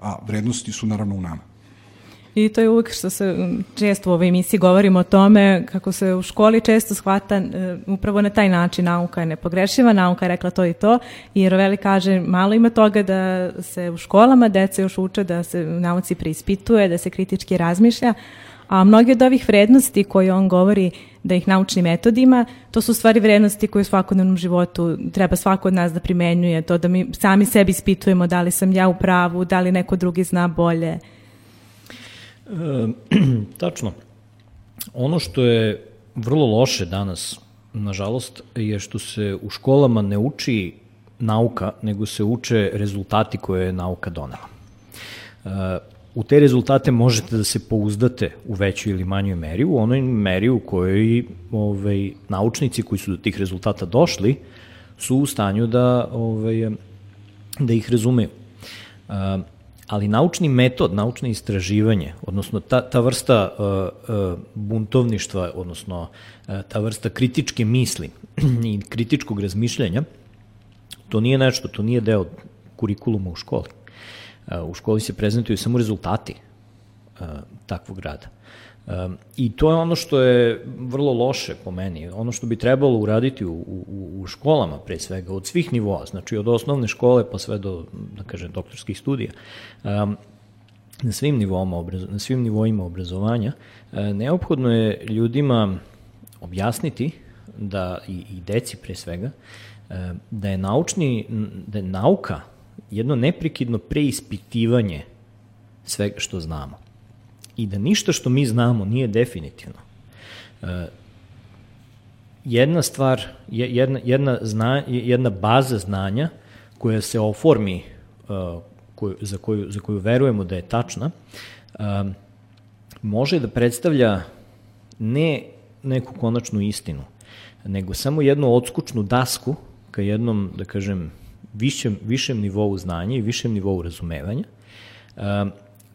a vrednosti su naravno u nama. I to je uvijek što se često u ovoj emisiji govorimo o tome kako se u školi često shvata upravo na taj način nauka je nepogrešiva, nauka je rekla to i to i Rovelli kaže malo ima toga da se u školama deca još uče da se nauci preispituje, da se kritički razmišlja, a mnogi od ovih vrednosti koje on govori da ih naučnim metodima, to su stvari vrednosti koje u svakodnevnom životu treba svako od nas da primenjuje, to da mi sami sebi ispitujemo da li sam ja u pravu, da li neko drugi zna bolje. Tačno. Ono što je vrlo loše danas, nažalost, je što se u školama ne uči nauka, nego se uče rezultati koje je nauka donela. U te rezultate možete da se pouzdate u većoj ili manjoj meri, u onoj meri u kojoj naučnici koji su do tih rezultata došli su u stanju da ih razumeju. Ali naučni metod, naučno istraživanje, odnosno ta vrsta buntovništva, odnosno ta vrsta kritičke misli i kritičkog razmišljanja, to nije nešto, to nije deo kurikuluma u školi. U školi se prezentuju samo rezultati takvog rada. I to je ono što je vrlo loše po meni. Ono što bi trebalo uraditi u školama, pre svega, od svih nivoa, znači od osnovne škole pa sve do, da kažem, doktorskih studija, na svim nivoima obrazovanja, neophodno je ljudima objasniti da i deci pre svega, da je nauka jedno neprekidno preispitivanje svega što znamo. I da ništa što mi znamo nije definitivno. Jedna stvar, jedna baza znanja koja se oformi, za koju verujemo da je tačna, može da predstavlja ne neku konačnu istinu, nego samo jednu odskučnu dasku ka jednom, da kažem, višem nivou znanja i višem nivou razumevanja,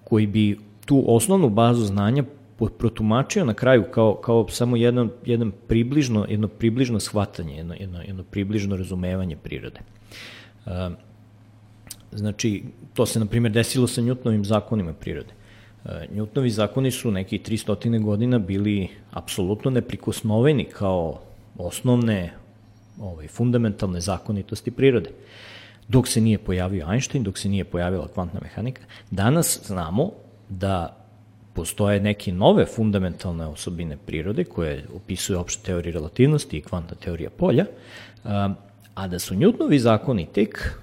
koji bi tu osnovnu bazu znanja protumačio na kraju kao samo jedno približno shvatanje, jedno približno razumevanje prirode. Znači, to se, na primjer, desilo sa Newtonovim zakonima prirode. Newtonovi zakoni su nekih 300 godina bili apsolutno neprikosnoveni kao osnovne fundamentalne zakonitosti prirode. Dok se nije pojavio Einstein, dok se nije pojavila kvantna mehanika, danas znamo da postoje neke nove fundamentalne osobine prirode koje opisuje opšte teorije relativnosti i kvantna teorija polja, a da su Newtonovi zakoni tek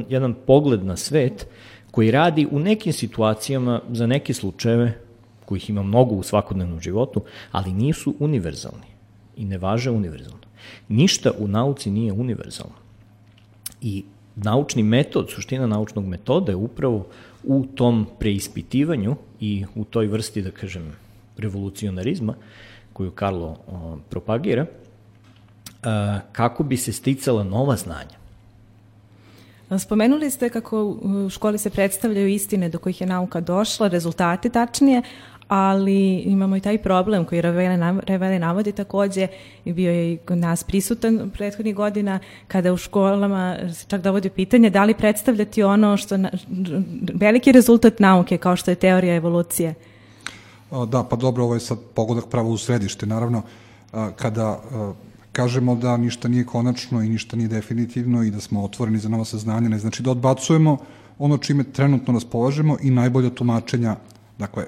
jedan pogled na svet koji radi u nekim situacijama za neke slučajeve, kojih ima mnogo u svakodnevnom životu, ali nisu univerzalni i ne važe univerzalno. Ništa u nauci nije univerzalno. I naučni metod, suština naučnog metoda je upravo u tom preispitivanju i u toj vrsti, da kažem, revolucionarizma koju Carlo propagira, kako bi se sticala nova znanja. Spomenuli ste kako u školi se predstavljaju istine do kojih je nauka došla, rezultate tačnije, ali imamo i taj problem koji Revelli navodi takođe i bio je i kod nas prisutan prethodnih godina kada u školama se čak dovodi pitanje da li predstavljati ono što veliki rezultat nauke kao što je teorija evolucije. Da, pa dobro, ovo je sad pogodak pravo u središte. Naravno, kada kažemo da ništa nije konačno i ništa nije definitivno i da smo otvoreni za nova saznanja, ne znači da odbacujemo ono čime trenutno raspolažemo i najbolja tumačenja. Dakle,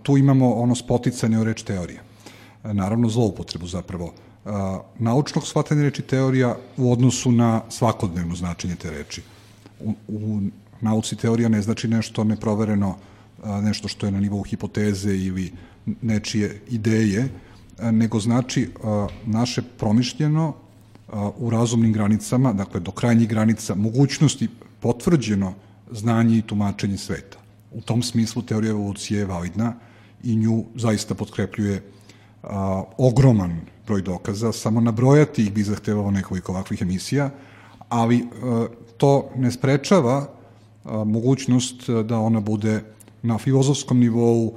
tu imamo ono spoticanje o reč teorija. Naravno, zloupotrebu zapravo naučnog shvatanja reči teorija u odnosu na svakodnevno značenje te reči. U nauci teorija ne znači nešto neprovereno, nešto što je na nivou hipoteze ili nečije ideje, nego znači naše promišljeno u razumnim granicama, dakle do krajnjih granica, mogućnosti potvrđeno znanje i tumačenje sveta. U tom smislu teorija evolucije je validna i nju zaista potkrepljuje ogroman broj dokaza. Samo nabrojati ih bi zahtevalo nekoliko ovakvih emisija, ali to ne sprečava mogućnost da ona bude na filozofskom nivou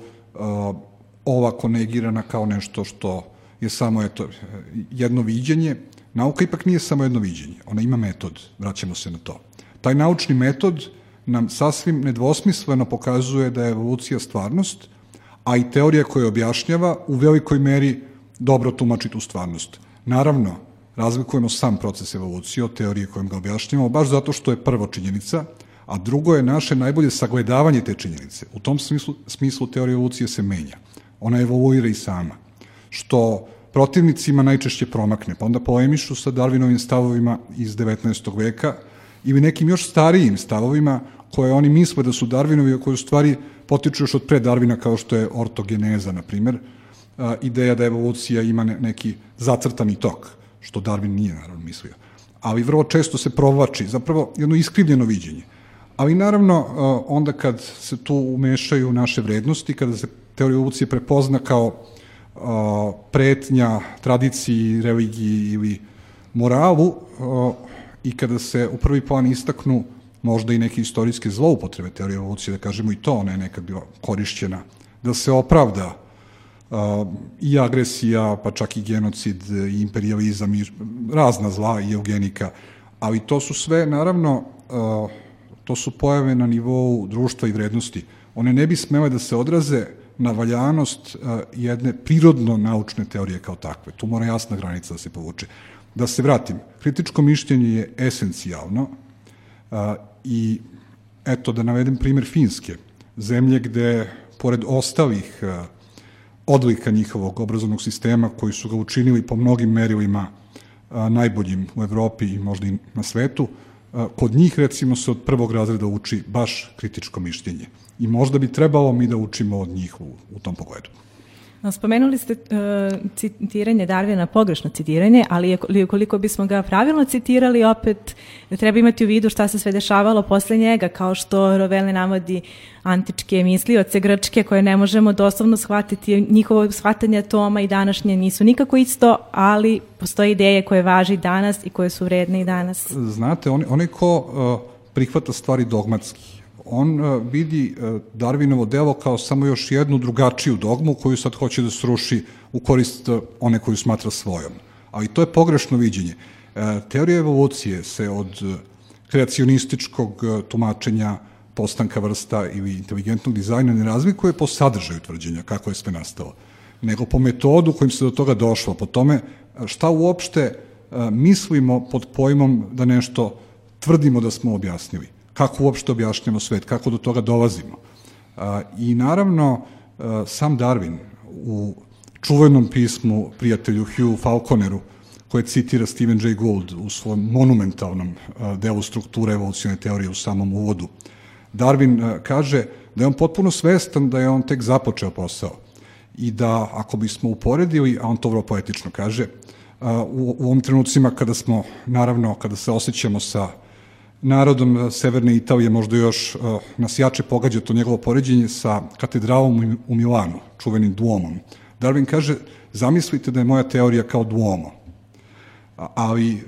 ovako negirana kao nešto što je samo jedno viđenje. Nauka ipak nije samo jedno viđenje, ona ima metod, vraćamo se na to. Taj naučni metod nam sasvim nedvosmisleno pokazuje da je evolucija stvarnost, a i teorija koja objašnjava u velikoj meri dobro tumači tu stvarnost. Naravno, razlikujemo sam proces evolucije od teorije kojom ga objašnjavamo, baš zato što je prvo činjenica, a drugo je naše najbolje sagledavanje te činjenice. U tom smislu teorija evolucije se menja. Ona evoluira i sama, što protivnicima najčešće promakne, pa onda polemišu sa Darwinovim stavovima iz 19. veka ili nekim još starijim stavovima koje oni misle da su Darwinovi, a koje u stvari potiču još od pre Darwina, kao što je ortogeneza, na primer, ideja da evolucija ima neki zacrtani tok, što Darwin nije naravno mislio. Ali vrlo često se provlači, zapravo jedno iskrivljeno viđenje. Ali naravno, onda kad se tu umešaju naše vrednosti, kada se teorija evolucije prepozna kao pretnja tradiciji, religiji ili moralu i kada se u prvi plan istaknu možda i neke istorijske zloupotrebe teorije evolucije, da kažemo i to, ona je nekad bila korišćena, da se opravda i agresija, pa čak i genocid, i imperijalizam, i razna zla, i eugenika, ali to su sve, naravno, to su pojave na nivou društva i vrednosti. One ne bi smele da se odraze na valjanost jedne prirodno naučne teorije kao takve. Tu mora jasna granica da se povuče. Da se vratim, kritičko mišljenje je esencijalno i eto da navedem primer Finske, zemlje gde, pored ostalih odlika njihovog obrazovnog sistema koji su ga učinili po mnogim merilima najboljim u Evropi i možda i na svetu, kod njih recimo se od prvog razreda uči baš kritičko mišljenje. I možda bi trebalo mi da učimo od njih u tom pogledu. Spomenuli ste citiranje Darwina, pogrešno citiranje, ali ukoliko bismo ga pravilno citirali, opet treba imati u vidu šta se sve dešavalo posle njega, kao što Revelli navodi antičke mislioce grčke koje ne možemo doslovno shvatiti, njihovo shvatanje atoma i današnje nisu nikako isto, ali postoje ideje koje važi danas i koje su vredne i danas. Znate, onaj ko prihvata stvari dogmatski, on vidi Darwinovo delo kao samo još jednu drugačiju dogmu koju sad hoće da sruši u korist one koju smatra svojom. Ali to je pogrešno viđenje. Teorija evolucije se od kreacionističkog tumačenja postanka vrsta ili inteligentnog dizajna ne razlikuje po sadržaju tvrđenja kako je sve nastalo, nego po metodu kojim se do toga došlo, po tome šta uopšte mislimo pod pojmom da nešto tvrdimo da smo objasnili. Kako uopšte objašnjamo svet, kako do toga dolazimo. I naravno, sam Darwin u čuvenom pismu prijatelju Hugh Falconeru, koje citira Stephen Jay Gould u svom monumentalnom delu strukture evolucione teorije u samom uvodu, Darwin kaže da je on potpuno svestan da je on tek započeo posao i da ako bismo uporedili, a on to vrlo poetično kaže, u ovim trenucima kada smo, naravno, kada se osjećamo sa narodom Severne Italije, možda još nas jače pogađa to njegovo poređenje sa katedralom u Milanu, čuvenim Duomom. Darwin kaže, zamislite da je moja teorija kao Duomo, ali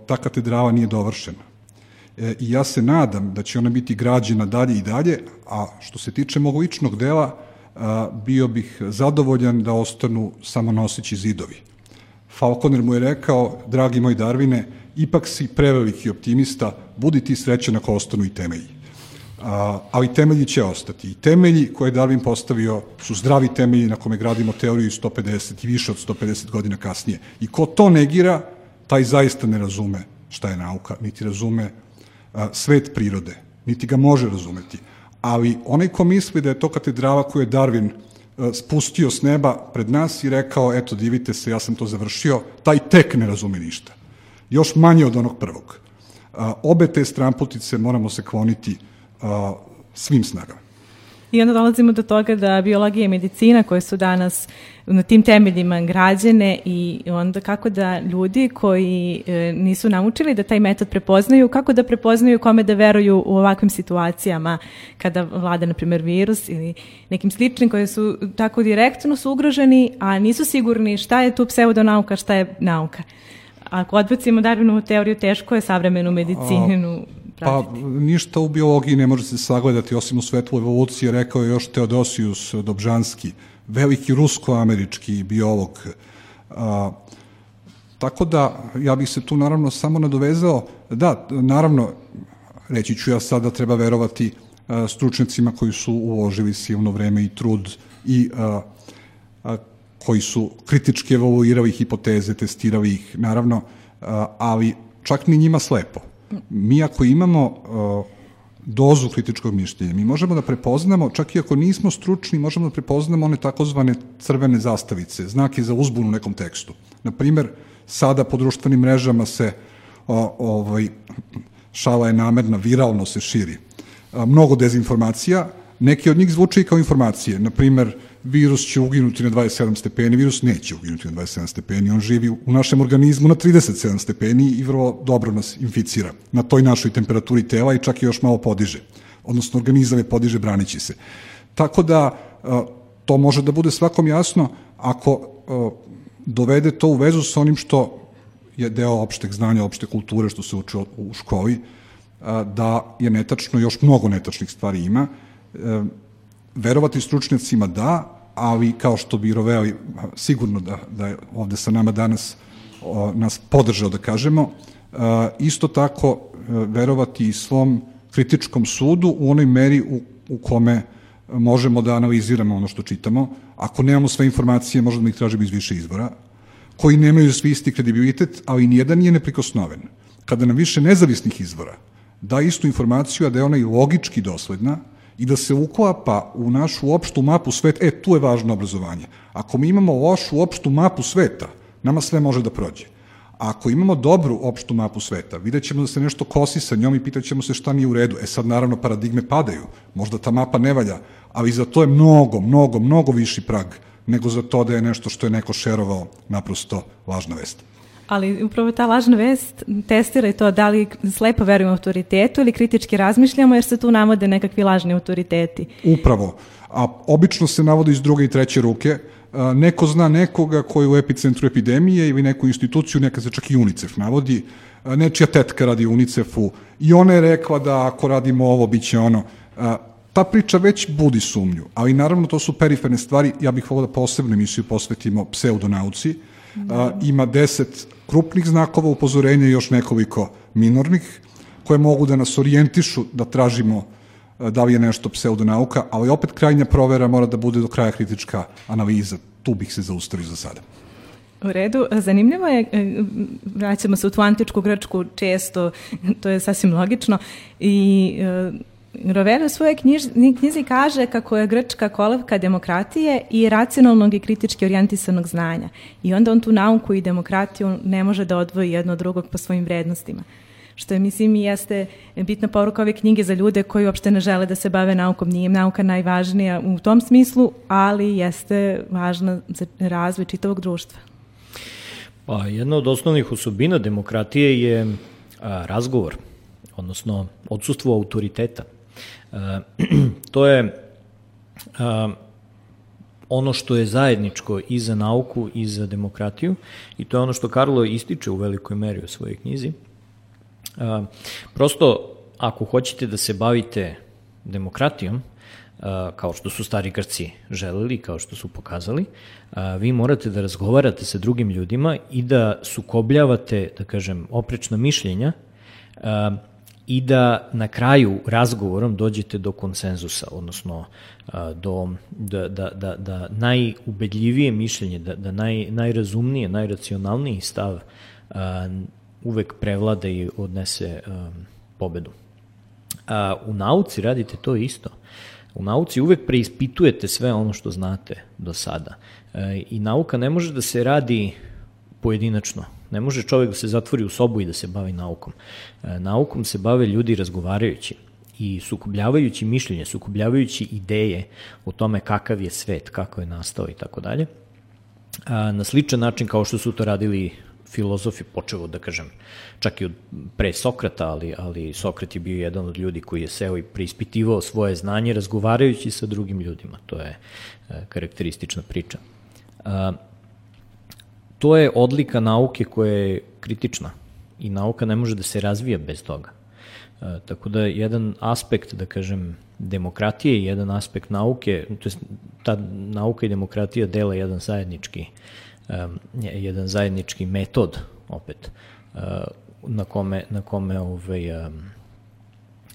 ta katedrala nije dovršena. I ja se nadam da će ona biti građena dalje i dalje, a što se tiče mog ličnog dela, bio bih zadovoljan da ostanu samo noseći zidovi. Falconer mu je rekao, dragi moj Darwine, ipak si preveliki optimista, budi ti srećan ako ostanu i temelji. Ali temelji će ostati. I temelji koje je Darwin postavio su zdravi temelji na kome gradimo teoriju 150 i više od 150 godina kasnije. I ko to negira, taj zaista ne razume šta je nauka, niti razume svet prirode, niti ga može razumeti. Ali onaj ko misli da je to katedrala koju je Darwin spustio s neba pred nas i rekao, eto, divite se, ja sam to završio, taj tek ne razume ništa. Još manje od onog prvog. Obe te stramputice moramo se kloniti svim snagama. I onda dolazimo do toga da biologija i medicina koje su danas na tim temeljima građene i onda kako da ljudi koji nisu naučili da taj metod prepoznaju, kako da prepoznaju kome da veruju u ovakvim situacijama kada vlada, na primjer, virus ili nekim sličnim koji su tako direktno su ugroženi, a nisu sigurni šta je tu pseudonauka, šta je nauka. Ako odbacimo Darwinovu teoriju, teško je savremenu medicinu pratiti. Pa ništa u biologiji ne može se sagledati osim u svetlu evolucije, rekao je još Teodosius Dobžanski, veliki rusko-američki biolog. Tako da, ja bih se tu naravno samo nadovezao, da, naravno, reći ću ja sad da treba verovati stručnjacima koji su uložili silno vreme i trud i koji su kritički evaluirali hipoteze, testirali ih, naravno, ali čak ni njima slepo. Mi ako imamo dozu kritičkog mišljenja, mi možemo da prepoznamo, čak i ako nismo stručni, možemo da prepoznamo one takozvane crvene zastavice, znake za uzbunu u nekom tekstu. Naprimer, sada po društvenim mrežama se, šala je namerna, viralno se širi. Mnogo dezinformacija, neke od njih zvuče i kao informacije. Naprimer, virus će uginuti na 27 stepeni, virus neće uginuti na 27 stepeni, on živi u našem organizmu na 37 stepeni i vrlo dobro nas inficira na toj našoj temperaturi tela i čak i još malo podiže. Odnosno, organizam je podiže branići se. Tako da, to može da bude svakom jasno ako dovede to u vezu sa onim što je deo opšteg znanja, opšte kulture, što se uči u školi, da je netačno, još mnogo netačnih stvari ima. Verovati stručnjacima da, ali kao što bi Roveli sigurno da je ovde sa nama danas nas podržao da kažemo, isto tako verovati i svom kritičkom sudu u onoj meri u kome možemo da analiziramo ono što čitamo. Ako nemamo sve informacije, možemo da ih tražimo iz više izvora, koji nemaju svi isti kredibilitet, ali nijedan nije neprikosnoven. Kada nam više nezavisnih izvora da istu informaciju, a da je ona i logički dosledna, i da se uklapa u našu opštu mapu sveta, tu je važno obrazovanje. Ako mi imamo lošu opštu mapu sveta, nama sve može da prođe. A ako imamo dobru opštu mapu sveta, vidjet ćemo da se nešto kosi sa njom i pitat ćemo se šta nije u redu. Sad naravno paradigme padaju, možda ta mapa ne valja, ali za to je mnogo viši prag nego za to da je nešto što je neko šerovao naprosto lažna vest. Ali upravo ta lažna vest testira i to da li slepo verujemo autoritetu ili kritički razmišljamo, jer se tu navode nekakvi lažni autoriteti. Upravo. A obično se navode iz druge i treće ruke. Neko zna nekoga koji je u epicentru epidemije ili neku instituciju, neka se čak i UNICEF navodi. Nečija tetka radi UNICEF-u i ona je rekla da ako radimo ovo, bit će ono. Ta priča već budi sumnju, ali naravno to su periferne stvari. Ja bih volio da posebnu emisiju posvetimo pseudonauci. Ima 10 krupnih znakova upozorenja i još nekoliko minornih, koje mogu da nas orijentišu da tražimo da li je nešto pseudonauka, ali opet krajnja provera mora da bude do kraja kritička analiza. Tu bih se zaustavio za sada. U redu. Zanimljivo je, vraćamo se u tu antičku Grčku često, to je sasvim logično, i Rovelli u svojoj knjizi kaže kako je Grčka kolevka demokratije i racionalnog i kritički orijentisanog znanja. I onda on tu nauku i demokratiju ne može da odvoji jedno od drugog po svojim vrednostima. Što je, mislim, i jeste bitna poruka ove knjige za ljude koji uopšte ne žele da se bave naukom. Nije im nauka najvažnija u tom smislu, ali jeste važna za razvoj čitavog društva. Pa jedna od osnovnih osobina demokratije je razgovor, odnosno odsustvo autoriteta. To je ono što je zajedničko i za nauku i za demokratiju i to je ono što Karlo ističe u velikoj meri u svojoj knjizi. Prosto, ako hoćete da se bavite demokratijom, kao što su stari Grci želeli, kao što su pokazali, vi morate da razgovarate sa drugim ljudima i da sukobljavate, da kažem, oprečna mišljenja i da na kraju razgovorom dođete do konsenzusa, odnosno da najubedljivije mišljenje, da najrazumnije, najracionalniji stav uvek prevlada i odnese pobedu. U nauci radite to isto. U nauci uvek preispitujete sve ono što znate do sada. I nauka ne može da se radi pojedinačno. Ne može čovjek da se zatvori u sobu i da se bavi naukom. Naukom se bave ljudi razgovarajući i sukobljavajući mišljenje, sukobljavajući ideje o tome kakav je svet, kako je nastao i tako dalje. Na sličan način kao što su to radili filozofi, počevo da kažem, čak i od pre Sokrata, ali Sokrat je bio jedan od ljudi koji je seo i preispitivao svoje znanje razgovarajući sa drugim ljudima. To je karakteristična priča. To je odlika nauke koja je kritična i nauka ne može da se razvija bez toga. Tako da jedan aspekt, da kažem, demokratije i jedan aspekt nauke, to je ta nauka i demokratija dela jedan zajednički metod opet na kome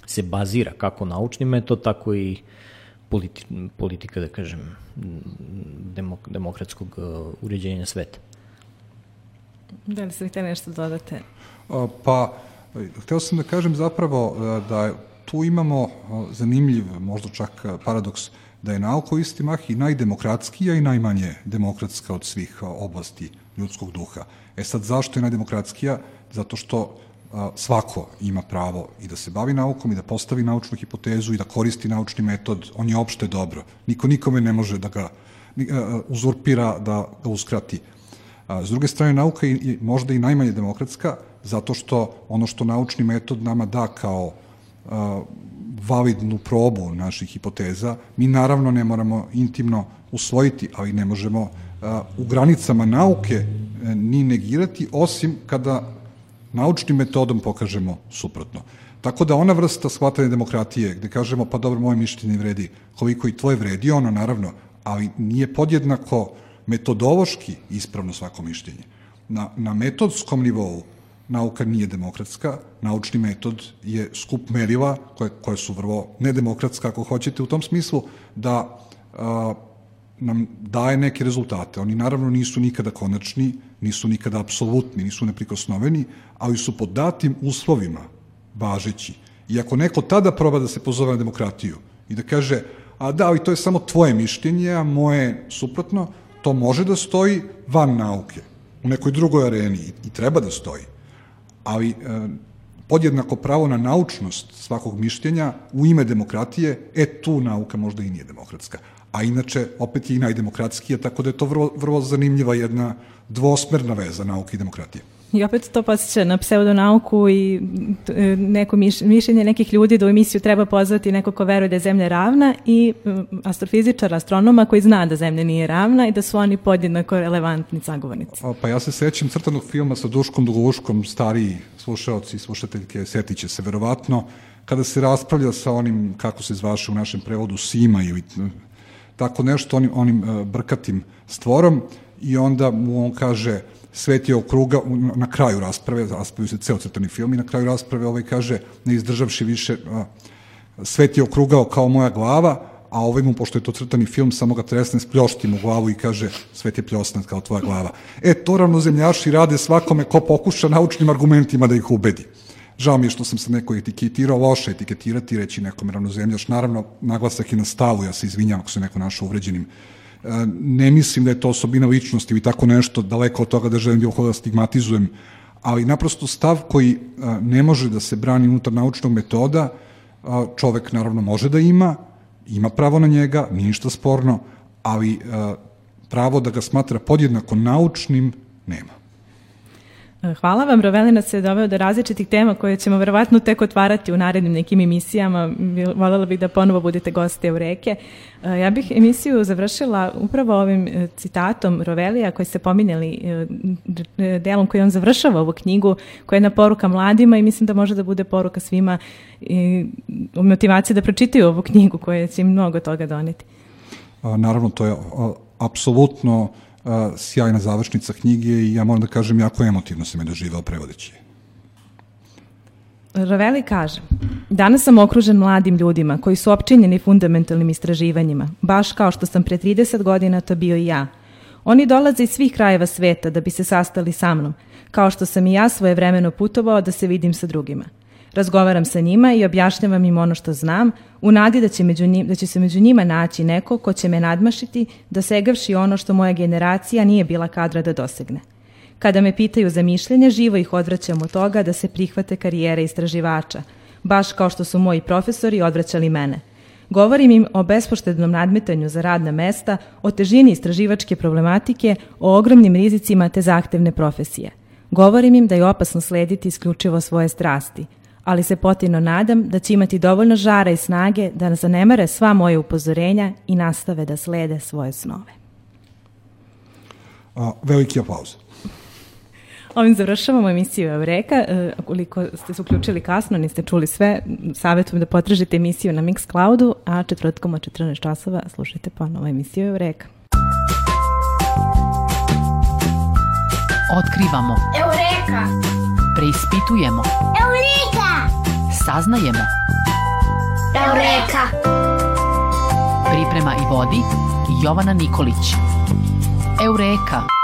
se bazira kako naučni metod, tako i politika, da kažem, demokratskog uređenja sveta. Da li ste htjeli nešto dodate? Pa, hteo sam da kažem zapravo da tu imamo zanimljiv, možda čak paradoks, da je nauka u isti mah i najdemokratskija i najmanje demokratska od svih oblasti ljudskog duha. Sad, zašto je najdemokratskija? Zato što svako ima pravo i da se bavi naukom i da postavi naučnu hipotezu i da koristi naučni metod, on je opšte dobro. Niko nikome ne može da ga uzurpira, da ga uskrati. S druge strane, nauka je možda i najmanje demokratska, zato što ono što naučni metod nama da kao validnu probu naših hipoteza, mi naravno ne moramo intimno usvojiti, ali ne možemo u granicama nauke ni negirati, osim kada naučnim metodom pokažemo suprotno. Tako da ona vrsta shvatanja demokratije, gde kažemo, pa dobro, moje mišljenje vredi koliko i tvoje vredi, ono naravno, ali nije podjednako metodološki ispravno svako mišljenje. Na metodskom nivou nauka nije demokratska, naučni metod je skup merila koje su vrlo nedemokratska, ako hoćete, u tom smislu da nam daje neke rezultate. Oni naravno nisu nikada konačni, nisu nikada apsolutni, nisu neprikosnoveni, ali su pod datim uslovima važeći. I ako neko tada proba da se pozove na demokratiju i da kaže, a da, ali to je samo tvoje mišljenje, a moje suprotno, to može da stoji van nauke, u nekoj drugoj areni i treba da stoji. Ali podjednako pravo na naučnost svakog mišljenja u ime demokratije, tu nauka možda i nije demokratska. A inače, opet je i najdemokratskija, tako da je to vrlo zanimljiva jedna dvosmerna veza nauke i demokratije. I opet to podsjeća na pseudonauku i neko mišljenje nekih ljudi da u emisiju treba pozvati neko ko veruje da je Zemlja ravna i astrofizičara, astronoma koji zna da Zemlja nije ravna i da su oni podjednako relevantni sagovornici. Pa ja se sećam crtanog filma sa Duškom Dugovuškom, stariji slušaoci i slušateljke setiće se verovatno, kada se raspravlja sa onim, kako se zvaše u našem prevodu, Sima ili tako nešto, onim brkatim stvorom, i onda mu on kaže, svet je okrugao, na kraju rasprave, raspravio se ceo crtani film, i na kraju rasprave kaže, ne izdržavši više, svet je okrugao kao moja glava, a mu, pošto je to crtani film, samo ga tresne s pljoštim u glavu i kaže, svet je pljosnat kao tvoja glava. To ravnozemljaši rade svakome ko pokuša naučnim argumentima da ih ubedi. Žao mi je što sam se neko etiketirao, loše etiketirati, reći nekom ravnozemljaš. Naravno, naglasak je na stavu, ja se izvinjam ako se neko našao uvređenim. Ne mislim da je to osobina ličnosti ili tako nešto, daleko od toga da želim bilo koga stigmatizujem, ali naprosto stav koji ne može da se brani unutar naučnog metoda, čovek naravno može da ima pravo na njega, nije ništa sporno, ali pravo da ga smatra podjednako naučnim nema. Hvala vam, Roveli nas je doveo do različitih tema koje ćemo verovatno tek otvarati u narednim nekim emisijama. Voljela bih da ponovo budete gosti Eureke. Ja bih emisiju završila upravo ovim citatom Rovelija koji ste pominjali, delom koji on završava ovu knjigu, koja je jedna poruka mladima i mislim da može da bude poruka svima u motivaciji da pročitaju ovu knjigu koja će im mnogo toga doneti. Naravno, to je apsolutno sjajna završnica knjige i ja moram da kažem jako emotivno sam je doživao prevodeći. Roveli kaže: danas sam okružen mladim ljudima koji su opčinjeni fundamentalnim istraživanjima, baš kao što sam pre 30 godina to bio i ja. Oni dolaze iz svih krajeva sveta da bi se sastali sa mnom, kao što sam i ja svojevremeno putovao da se vidim sa drugima. Razgovaram sa njima i objašnjavam im ono što znam, u nadi da će se među njima naći neko ko će me nadmašiti, dosegavši ono što moja generacija nije bila kadra da dosegne. Kada me pitaju za mišljenje, živo ih odvraćam od toga da se prihvate karijere istraživača, baš kao što su moji profesori odvraćali mene. Govorim im o bespoštednom nadmetanju za radna mesta, o težini istraživačke problematike, o ogromnim rizicima te zahtevne profesije. Govorim im da je opasno slediti isključivo svoje strasti, ali se potajno nadam da će imati dovoljno žara i snage da zanemare sva moje upozorenja i nastave da slede svoje snove. Veliki aplauz. Ovim završavamo emisiju Eureka. Ukoliko ste se uključili kasno, niste čuli sve, savjetujem da potražite emisiju na Mixcloudu, a četvrtkom od 14 časova slušajte ponovo emisiju Eureka. Otkrivamo. Eureka! Preispitujemo. Eureka! Saznajemo. Eureka! Priprema i vodi Jovana Nikolić. Eureka!